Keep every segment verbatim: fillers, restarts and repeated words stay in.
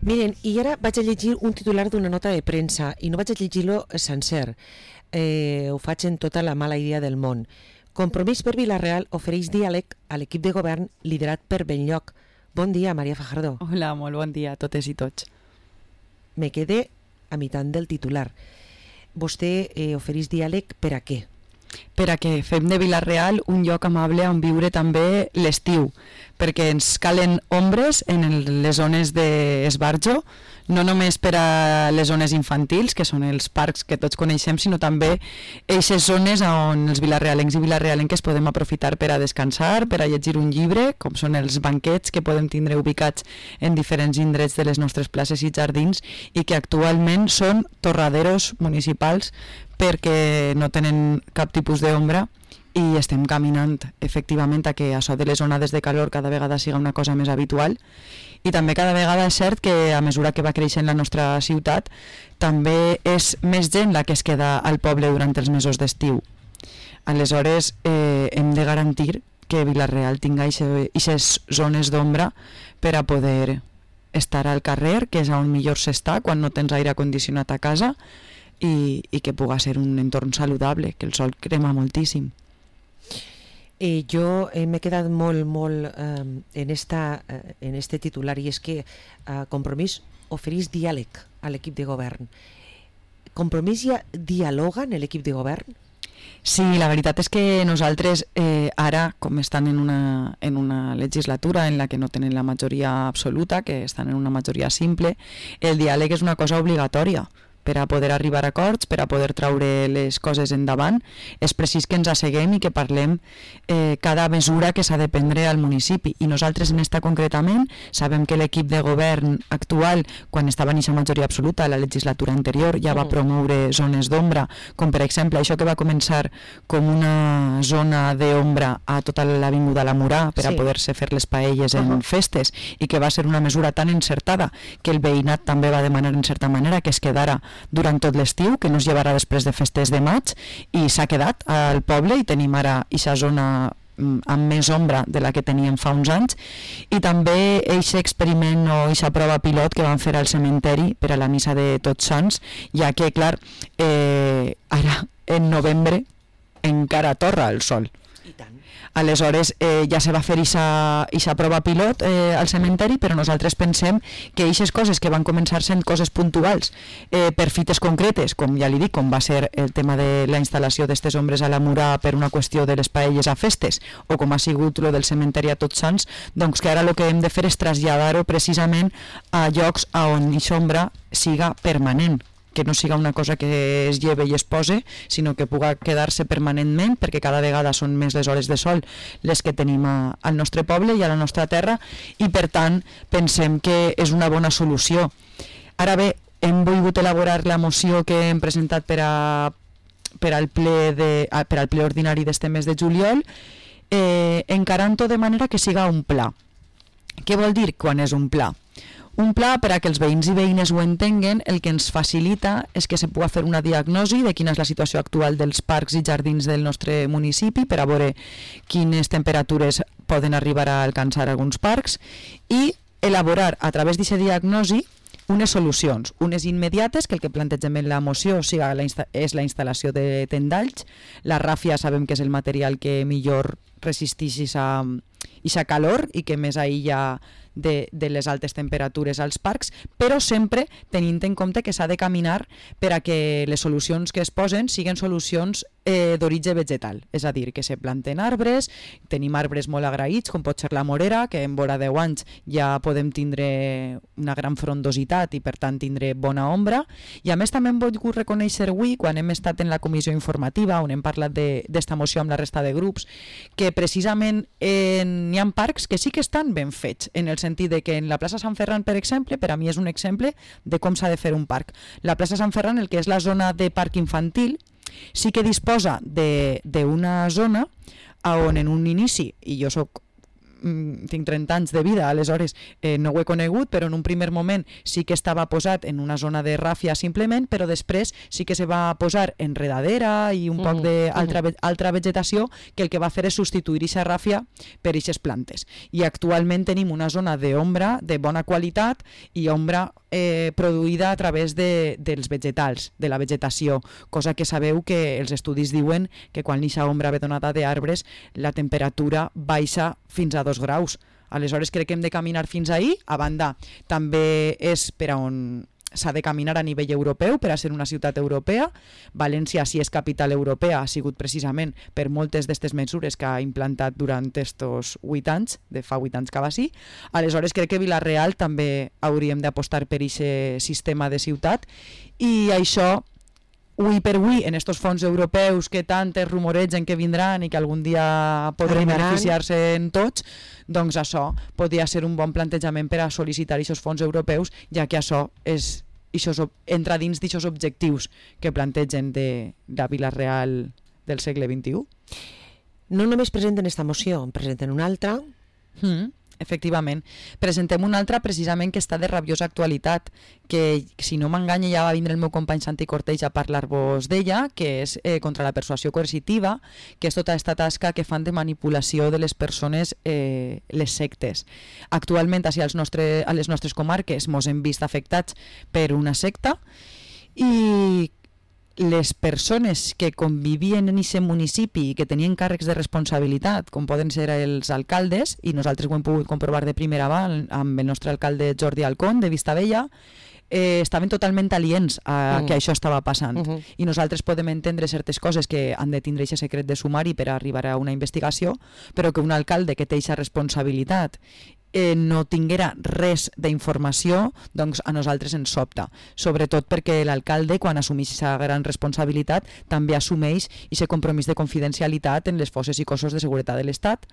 Miren, i ara vaig a llegir un titular d'una nota de premsa i no vaig a llegir-lo sencer. Eh, ho faig en tota la mala idea del món. Compromís per Vila-real ofereix diàleg a l'equip de govern liderat per Benlloc. Bon dia, Maria Fajardo. Hola, molt bon dia a totes i tots. Me quedé a meitat del titular. Vostè eh, ofereix diàleg per a què? Per a que fem de Vila-real un lloc amable on viure també l'estiu, perquè ens calen ombres en les zones d'esbarjo, no només per a les zones infantils, que són els parcs que tots coneixem, sinó també aquestes zones on els vilarealencs i vilarealenques podem aprofitar per a descansar, per a llegir un llibre, com són els banquets que podem tindre ubicats en diferents indrets de les nostres places i jardins i que actualment són torraderos municipals perquè no tenen cap tipus d'ombra i estem caminant efectivament a que això de les onades de calor cada vegada siga una cosa més habitual i també cada vegada és cert que a mesura que va creixent la nostra ciutat també és més gent la que es queda al poble durant els mesos d'estiu. Aleshores eh, hem de garantir que Vila-real tinga aquestes zones d'ombra per a poder estar al carrer, que és on millor s'està quan no tens aire condicionat a casa i, i que puga ser un entorn saludable, que el sol crema moltíssim. Eh, jo eh, m'he quedat molt, molt eh, en, esta, eh, en este titular i és que eh, Compromís ofereix diàleg a l'equip de govern. Compromís ja dialoga en l'equip de govern? Sí, la veritat és que nosaltres eh, ara, com estan en una, en una legislatura en la que no tenen la majoria absoluta, que estan en una majoria simple, el diàleg és una cosa obligatòria per a poder arribar a acords, per a poder traure les coses endavant. És precís que ens asseguem i que parlem eh, cada mesura que s'ha de prendre al municipi. I nosaltres en esta concretament sabem que l'equip de govern actual, quan estava en aquesta majoria absoluta, la legislatura anterior, ja va promoure zones d'ombra, com per exemple això que va començar com una zona d'ombra a tota l'avinguda La Murà per a sí. poder-se fer les paelles en uh -huh. festes i que va ser una mesura tan encertada que el veïnat també va demanar en certa manera que es quedara durant tot l'estiu, que no es llevarà després de festes de maig i s'ha quedat al poble i tenim ara aquesta zona amb més ombra de la que teníem fa uns anys i també aquest experiment o aquesta prova pilot que van fer al cementeri per a la missa de Tots Sants, ja que clar eh, ara en novembre encara torra el sol. I tant. Aleshores eh, ja se va fer aquesta prova pilot eh, al cementeri, però nosaltres pensem que aquestes coses que van començar sent coses puntuals eh, per fites concretes, com ja li dic, com va ser el tema de la instal·lació d'estes ombres a La Murà per una qüestió de les paelles a festes, o com ha sigut lo del cementeri a Tots Sants, doncs que ara el que hem de fer és traslladar-ho precisament a llocs on aquesta ombra siga permanent, que no siga una cosa que es lleve i es pose, sinó que puga quedar-se permanentment, perquè cada vegada són més les hores de sol les que tenim a, al nostre poble i a la nostra terra, i per tant pensem que és una bona solució. Ara bé, hem volgut elaborar la moció que hem presentat per, a, per, al, ple de, a, per al ple ordinari d'este mes de juliol, eh, encarant-ho de manera que siga un pla. Què vol dir quan és un pla? Un pla, per a que els veïns i veïnes ho entenguen, el que ens facilita és que se pugui fer una diagnosi de quina és la situació actual dels parcs i jardins del nostre municipi per a veure quines temperatures poden arribar a alcançar alguns parcs i elaborar a través d'aquesta diagnosi unes solucions, unes immediates, que el que plantegem en la moció siga la és la instal·lació de tendalls. La ràfia sabem que és el material que millor resisteix aquesta calor i que més aïlla de, de les altes temperatures als parcs, però sempre tenint en compte que s'ha de caminar per a que les solucions que es posen siguin solucions eh, d'origen vegetal, és a dir, que se planten arbres, tenim arbres molt agraïts, com pot ser la morera, que en vora deu anys ja podem tindre una gran frondositat i per tant tindre bona ombra, i a més també hem volgut reconèixer avui, quan hem estat en la comissió informativa, on hem parlat d'esta moció amb la resta de grups, que precisament n'hi ha parcs que sí que estan ben fets, en el sentit de que en la plaça Sant Ferran, per exemple, per a mi és un exemple de com s'ha de fer un parc. La plaça Sant Ferran, el que és la zona de parc infantil, sí que disposa d'una zona on en un inici, i jo soc tinc trenta anys de vida, aleshores eh, no ho he conegut, però en un primer moment sí que estava posat en una zona de ràfia simplement, però després sí que se va posar enredadera i un mm, poc d'altra mm. altra vegetació que el que va fer és substituir aquesta ràfia per aquestes plantes. I actualment tenim una zona d'ombra de bona qualitat i ombra eh, produïda a través de, dels vegetals, de la vegetació, cosa que sabeu que els estudis diuen que quan aquesta ombra ve donada d'arbres la temperatura baixa fins a dos graus. Aleshores crec que hem de caminar fins ahí. A banda, també és per a on s'ha de caminar a nivell europeu per a ser una ciutat europea. València, si és capital europea, ha sigut precisament per moltes d'aquestes mesures que ha implantat durant estos vuit anys, de fa vuit anys que va així. Aleshores crec que Vila-real també hauríem d'apostar per aquest sistema de ciutat i això ui per ui, en estos fons europeus que tant es rumoregen que vindran i que algun dia podrem beneficiar-se en tots, doncs això podria ser un bon plantejament per a sol·licitar aquests fons europeus, ja que això és, això entra dins d'aquests objectius que plantegen de la Vila-real del segle vint-i-u. No només presenten esta moció, en presenten una altra... Mm. Efectivament. Presentem una altra precisament que està de rabiosa actualitat, que si no m'enganya ja va vindre el meu company Santi Cortells a parlar-vos d'ella, que és eh, contra la persuasió coercitiva, que és tota aquesta tasca que fan de manipulació de les persones, eh, les sectes. Actualment, així als nostre, a les nostres comarques mos hem vist afectats per una secta i les persones que convivien en aquest municipi i que tenien càrrecs de responsabilitat, com poden ser els alcaldes, i nosaltres ho hem pogut comprovar de primera mà amb el nostre alcalde Jordi Alcón de Vistabella, eh, estaven totalment aliens a uh -huh. que això estava passant. Uh -huh. I nosaltres podem entendre certes coses que han de tindre aquest secret de sumari per arribar a una investigació, però que un alcalde que té aquesta responsabilitat Eh, no tinguera res d'informació, doncs a nosaltres ens sobta, sobretot perquè l'alcalde, quan assumeix aquesta gran responsabilitat, també assumeix aquest compromís de confidencialitat en les forces i cossos de seguretat de l'Estat,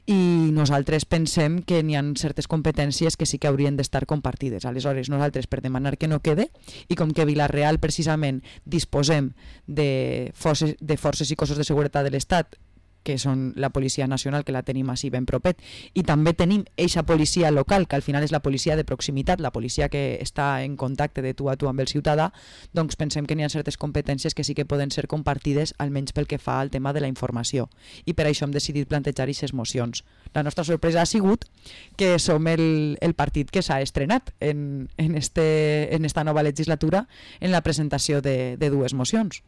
i nosaltres pensem que n'hi ha certes competències que sí que haurien d'estar compartides. Aleshores, nosaltres, per demanar que no quede, i com que Vila-real precisament disposem de forces, de forces i cossos de seguretat de l'Estat, que són la Policia Nacional, que la tenim així ben propet, i també tenim eixa policia local, que al final és la policia de proximitat, la policia que està en contacte de tu a tu amb el ciutadà, doncs pensem que n'hi ha certes competències que sí que poden ser compartides, almenys pel que fa al tema de la informació. I per això hem decidit plantejar aquestes mocions. La nostra sorpresa ha sigut que som el, el partit que s'ha estrenat en, en, este, en esta nova legislatura en la presentació de, de dues mocions.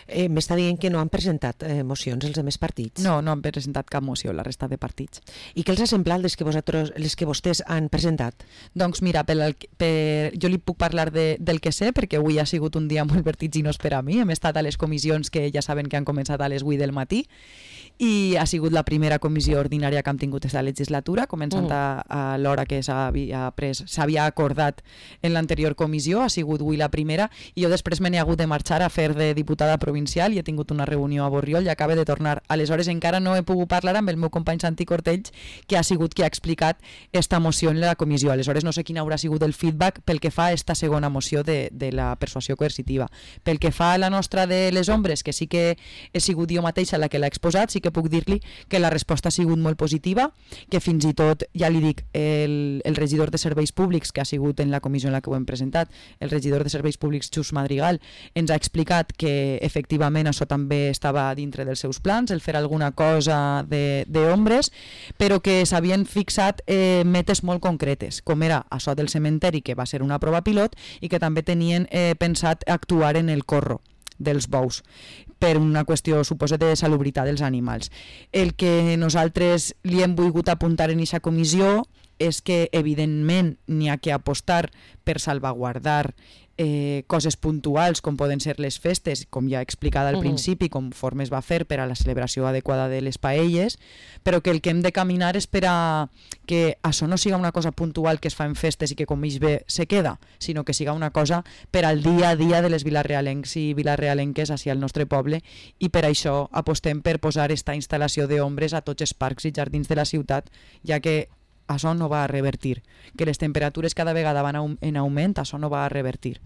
Eh, M'està dient que no han presentat eh, mocions els altres partits? No, no han presentat cap moció la resta de partits. I què els ha semblat les que, vosaltres, les que vostès han presentat? Doncs mira, per, per, jo li puc parlar de, del que sé, perquè avui ha sigut un dia molt vertiginós per a mi. Hem estat a les comissions que ja saben que han començat a les vuit del matí, i ha sigut la primera comissió ordinària que hem tingut aquesta legislatura, començant mm. a, a l'hora que s'havia pres, s'havia acordat en l'anterior comissió, ha sigut avui la primera, i jo després me n'he hagut de marxar a fer de diputada provincial i he tingut una reunió a Borriol i acaba de tornar. Aleshores encara no he pogut parlar amb el meu company Santi Cortells, que ha sigut qui ha explicat esta moció en la comissió. Aleshores no sé quin haurà sigut el feedback pel que fa a esta segona moció de, de la persuasió coercitiva. Pel que fa a la nostra de les ombres, que sí que he sigut jo mateixa la que l'ha exposat, sí que puc dir-li que la resposta ha sigut molt positiva, que fins i tot, ja li dic, el, el regidor de Serveis Públics, que ha sigut en la comissió en la que ho hem presentat, el regidor de Serveis Públics, Xus Madrigal, ens ha explicat que efectivament això també estava dintre dels seus plans, el fer alguna cosa d'ombres, però que s'havien fixat eh, metes molt concretes, com era això del cementeri, que va ser una prova pilot, i que també tenien eh, pensat actuar en el corro dels bous, per una qüestió, suposo, de salubritat dels animals. El que nosaltres li hem volgut apuntar en aquesta comissió és que, evidentment, n'hi ha que apostar per salvaguardar eh, coses puntuals, com poden ser les festes, com ja he explicat al uh -huh. principi, conforme es va fer per a la celebració adequada de les paelles, però que el que hem de caminar és per a que això no siga una cosa puntual que es fa en festes i que com ells bé se queda, sinó que siga una cosa per al dia a dia de les vilarealencs i vilarealenques hacia el nostre poble, i per això apostem per posar esta instal·lació d'ombres a tots els parcs i jardins de la ciutat, ja que això no va a revertir. Que les temperatures cada vegada van en augment, això no va a revertir.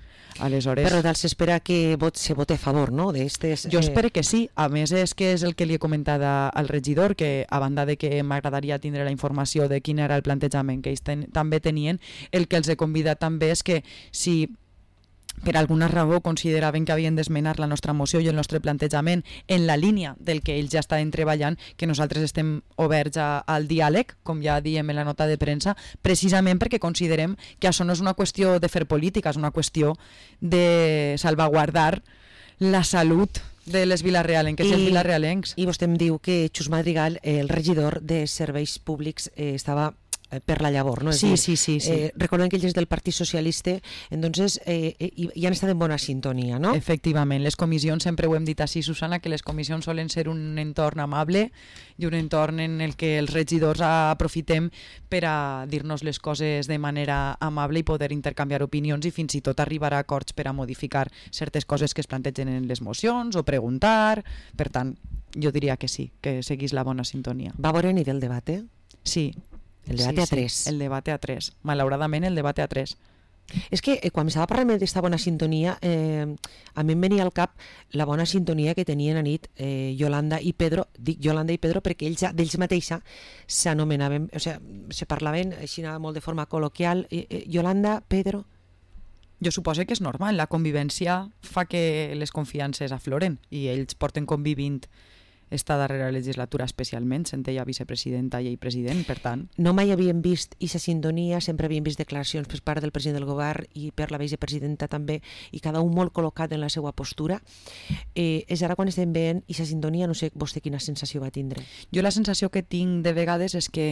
Aleshores... Però tal s'espera que vot, se vote a favor, no? Estes, jo eh... espero que sí. A més, és que és el que li he comentat al regidor, que a banda de que m'agradaria tindre la informació de quin era el plantejament que ells ten, també tenien, el que els he convidat també és que si per alguna raó consideraven que havien d'esmenar la nostra moció i el nostre plantejament en la línia del que ells ja estaven treballant, que nosaltres estem oberts a, al diàleg, com ja diem en la nota de premsa, precisament perquè considerem que això no és una qüestió de fer política, és una qüestió de salvaguardar la salut de les vilarealenques i els vilarealencs. I vostè em diu que Xus Madrigal, el regidor de Serveis Públics, eh, estava per la llavor, no? És sí, dir, sí, sí, sí. Eh, recordem que ell és del Partit Socialista, entonces eh, i, i han estat en bona sintonia, no? Efectivament, les comissions, sempre ho hem dit així, Susana, que les comissions solen ser un entorn amable i un entorn en el que els regidors aprofitem per a dir-nos les coses de manera amable i poder intercanviar opinions i fins i tot arribar a acords per a modificar certes coses que es plantegen en les mocions o preguntar. Per tant, jo diria que sí, que seguís la bona sintonia. Va veure ni del debat, eh? Sí. El debat sí, a tres. Sí, el debat a tres. Malauradament, el debat a tres. És que eh, quan estava parlant d'aquesta bona sintonia, eh, a mi em venia al cap la bona sintonia que tenien a nit eh, Yolanda i Pedro, dic Yolanda i Pedro perquè ells d'ells mateixa s'anomenaven, o sigui, se parlaven així molt de forma col·loquial, eh, eh, Yolanda, Pedro... Jo suposo que és normal, la convivència fa que les confiances afloren i ells porten convivint esta darrera legislatura especialment, sent ella vicepresidenta i ell president, per tant... No mai havíem vist aquesta sintonia, sempre havíem vist declaracions per part del president del govern i per la vicepresidenta també, i cada un molt col·locat en la seva postura. Eh, és ara quan estem veient aquesta sintonia, no sé vostè quina sensació va tindre. Jo la sensació que tinc de vegades és que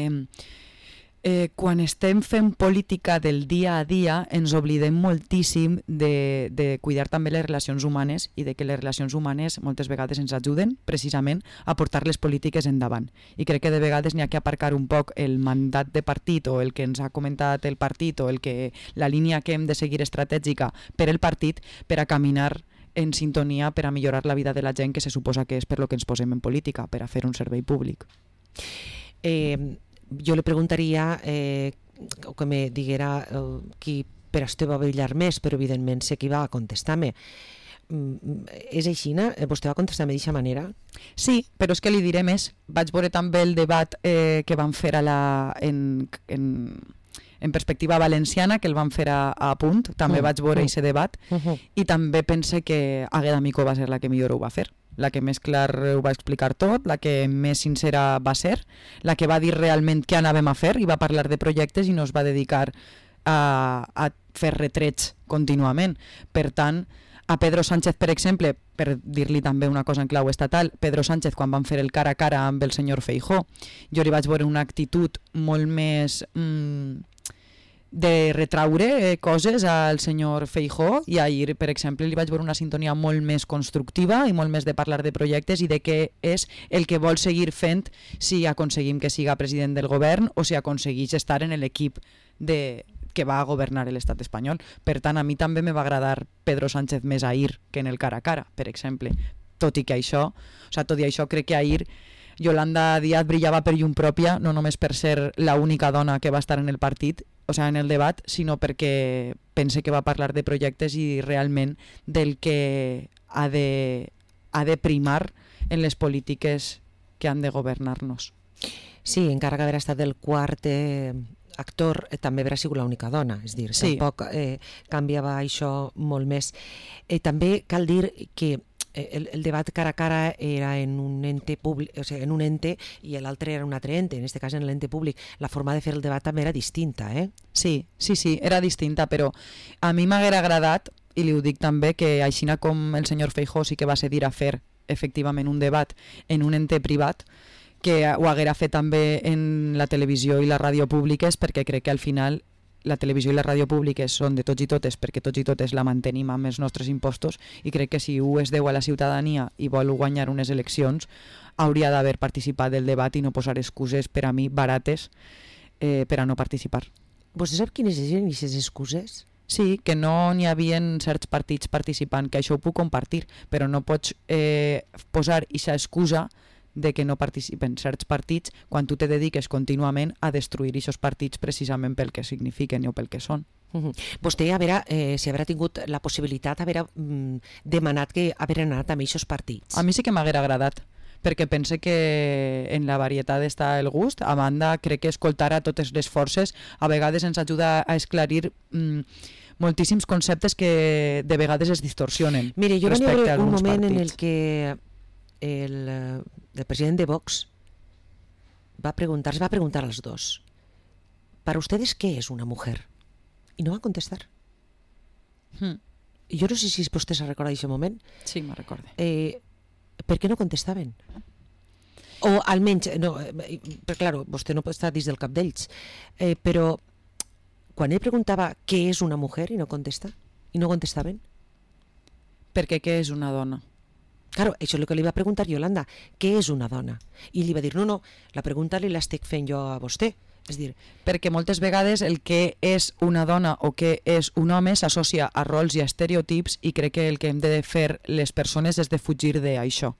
Eh, quan estem fent política del dia a dia ens oblidem moltíssim de, de cuidar també les relacions humanes i de que les relacions humanes moltes vegades ens ajuden precisament a portar les polítiques endavant. I crec que de vegades n'hi ha que aparcar un poc el mandat de partit o el que ens ha comentat el partit o el que, la línia que hem de seguir estratègica per el partit per a caminar en sintonia per a millorar la vida de la gent, que se suposa que és per lo que ens posem en política, per a fer un servei públic. Eh... Jo li preguntaria eh, o que me diguera eh, qui per això va brillar més, però evidentment sé qui va contestar-me. Mm, és així, no? Vostè va contestar-me d'aquesta manera? Sí, però és que li diré més. Vaig veure també el debat eh, que van fer a la, en, en, en perspectiva valenciana, que el van fer a, a Punt, també uh, vaig veure aquest uh, debat, uh -huh. i també pense que Àgueda Micó va ser la que millor ho va fer. La que més clar ho va explicar tot, la que més sincera va ser, la que va dir realment què anàvem a fer i va parlar de projectes i no es va dedicar a, a fer retrets contínuament. Per tant, a Pedro Sánchez, per exemple, per dir-li també una cosa en clau estatal, Pedro Sánchez, quan van fer el cara a cara amb el senyor Feijóo, jo li vaig veure una actitud molt més... Mmm, de retraure eh, coses al senyor Feijóo, i ahir, per exemple, li vaig veure una sintonia molt més constructiva i molt més de parlar de projectes i de què és el que vol seguir fent si aconseguim que siga president del govern o si aconsegueix estar en l'equip de... que va a governar l'estat espanyol. Per tant, a mi també me va agradar Pedro Sánchez més ahir que en el cara a cara, per exemple. Tot i que això, o sigui, tot i això crec que ahir Yolanda Díaz brillava per llum pròpia, no només per ser l'única dona que va estar en el partit, o sigui, en el debat, sinó perquè pense que va parlar de projectes i realment del que ha de, ha de primar en les polítiques que han de governar-nos. Sí, encara que haver estat el quart eh, actor, eh, també haurà sigut l'única dona, és dir, sí. Tampoc eh, canviava això molt més. Eh, també cal dir que El, el debat cara a cara era en un ente públic, o sigui, en un ente i l'altre era un altre ente, en aquest cas en l'ente públic. La forma de fer el debat també era distinta, eh? Sí, sí, sí, era distinta, però a mi m'haguera agradat, i li ho dic també, que així com el senyor Feijóo sí que va cedir a fer efectivament un debat en un ente privat, que ho haguera fet també en la televisió i la ràdio públiques, perquè crec que al final la televisió i la ràdio públiques són de tots i totes perquè tots i totes la mantenim amb els nostres impostos, i crec que si ho es deu a la ciutadania i vol guanyar unes eleccions hauria d'haver participat del debat i no posar excuses per a mi barates eh, per a no participar. Vostè sap quines eren aquestes excuses? Sí, que no n'hi havia certs partits participant, que això ho puc compartir, però no pots eh, posar aquesta excusa de que no participen certs partits quan tu te dediques contínuament a destruir aquests partits precisament pel que signifiquen o pel que són. Uh-huh. Vostè, a veure, eh, si haurà tingut la possibilitat d'haver mm, demanat que haver anat amb aquests partits. A mi sí que m'haguera agradat, perquè pense que en la varietat està el gust. A banda, crec que escoltar a totes les forces a vegades ens ajuda a esclarir mm, moltíssims conceptes que de vegades es distorsionen. Mire, jo vaig veure un moment partits. en el que el, el president de Vox va preguntar, va preguntar als dos, ¿para ustedes qué es una mujer? I no va contestar. Hmm. I jo no sé si vostè se recorda d'aquest moment. Sí, me'n recordo. Eh, per què no contestaven? O almenys, no, eh, però clar, vostè no pot estar dins del cap d'ells, eh, però quan ell preguntava què és una mujer i no contesta, i no contestaven. Perquè què és una dona? Claro, això és el que li va preguntar Yolanda, què és una dona? I li va dir, no, no, la pregunta li l'estic fent jo a vostè. És dir, perquè moltes vegades el que és una dona o que és un home s'associa a rols i a estereotips, i crec que el que hem de fer les persones és de fugir d'això,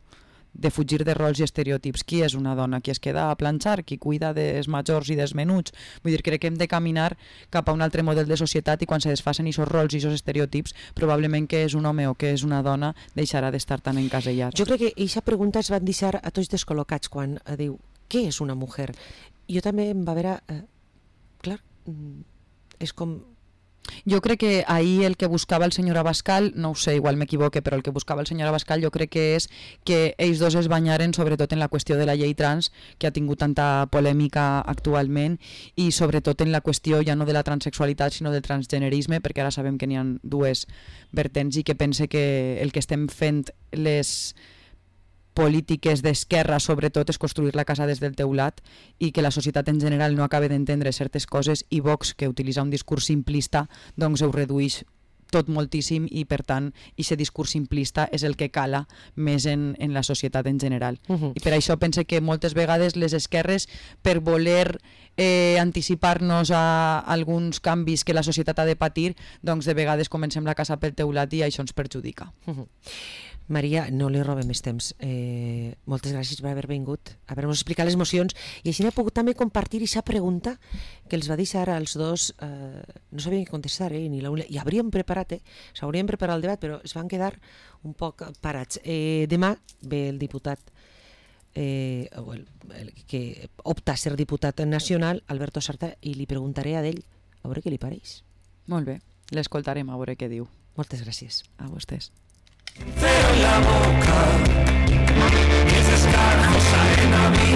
de fugir de rols i estereotips. Qui és una dona? Qui es queda a planxar? Qui cuida dels majors i dels menuts? Vull dir, crec que hem de caminar cap a un altre model de societat, i quan se desfacen aquests rols i aquests estereotips, probablement que és un home o que és una dona deixarà d'estar tan encasellat. Jo crec que aquesta pregunta es van deixar a tots descol·locats quan diu, què és una mujer? Jo també em va veure, eh, clar, és com... Jo crec que ahir el que buscava el senyor Abascal, no ho sé, igual m'equivoque, però el que buscava el senyor Abascal jo crec que és que ells dos es banyaren sobretot en la qüestió de la llei trans, que ha tingut tanta polèmica actualment, i sobretot en la qüestió ja no de la transexualitat sinó del transgenerisme, perquè ara sabem que n'hi ha dues vertents, i que pense que el que estem fent les polítiques d'esquerra sobretot és construir la casa des del teulat, i que la societat en general no acaba d'entendre certes coses, i Vox, que utilitza un discurs simplista, doncs ho redueix tot moltíssim, i per tant aquest discurs simplista és el que cala més en, en la societat en general. Uh-huh. I per això pense que moltes vegades les esquerres, per voler eh, anticipar-nos a alguns canvis que la societat ha de patir, doncs de vegades comencem la casa pel teulat i això ens perjudica. Uh-huh. Maria, no li robem més temps. Eh, moltes gràcies per haver vingut, haver-nos explicat les emocions, i així n'he pogut també compartir aquesta pregunta que els va deixar als dos, eh, no sabien què contestar, eh, ni la una, i haurien preparat, eh, s'haurien preparat el debat, però es van quedar un poc parats. Eh, demà ve el diputat eh, el, el que opta a ser diputat nacional, Alberto Sarta, i li preguntaré a ell a veure què li pareix. Molt bé, l'escoltarem a veure què diu. Moltes gràcies. A vostès. Cero en la boca, mis descargos salen a mí.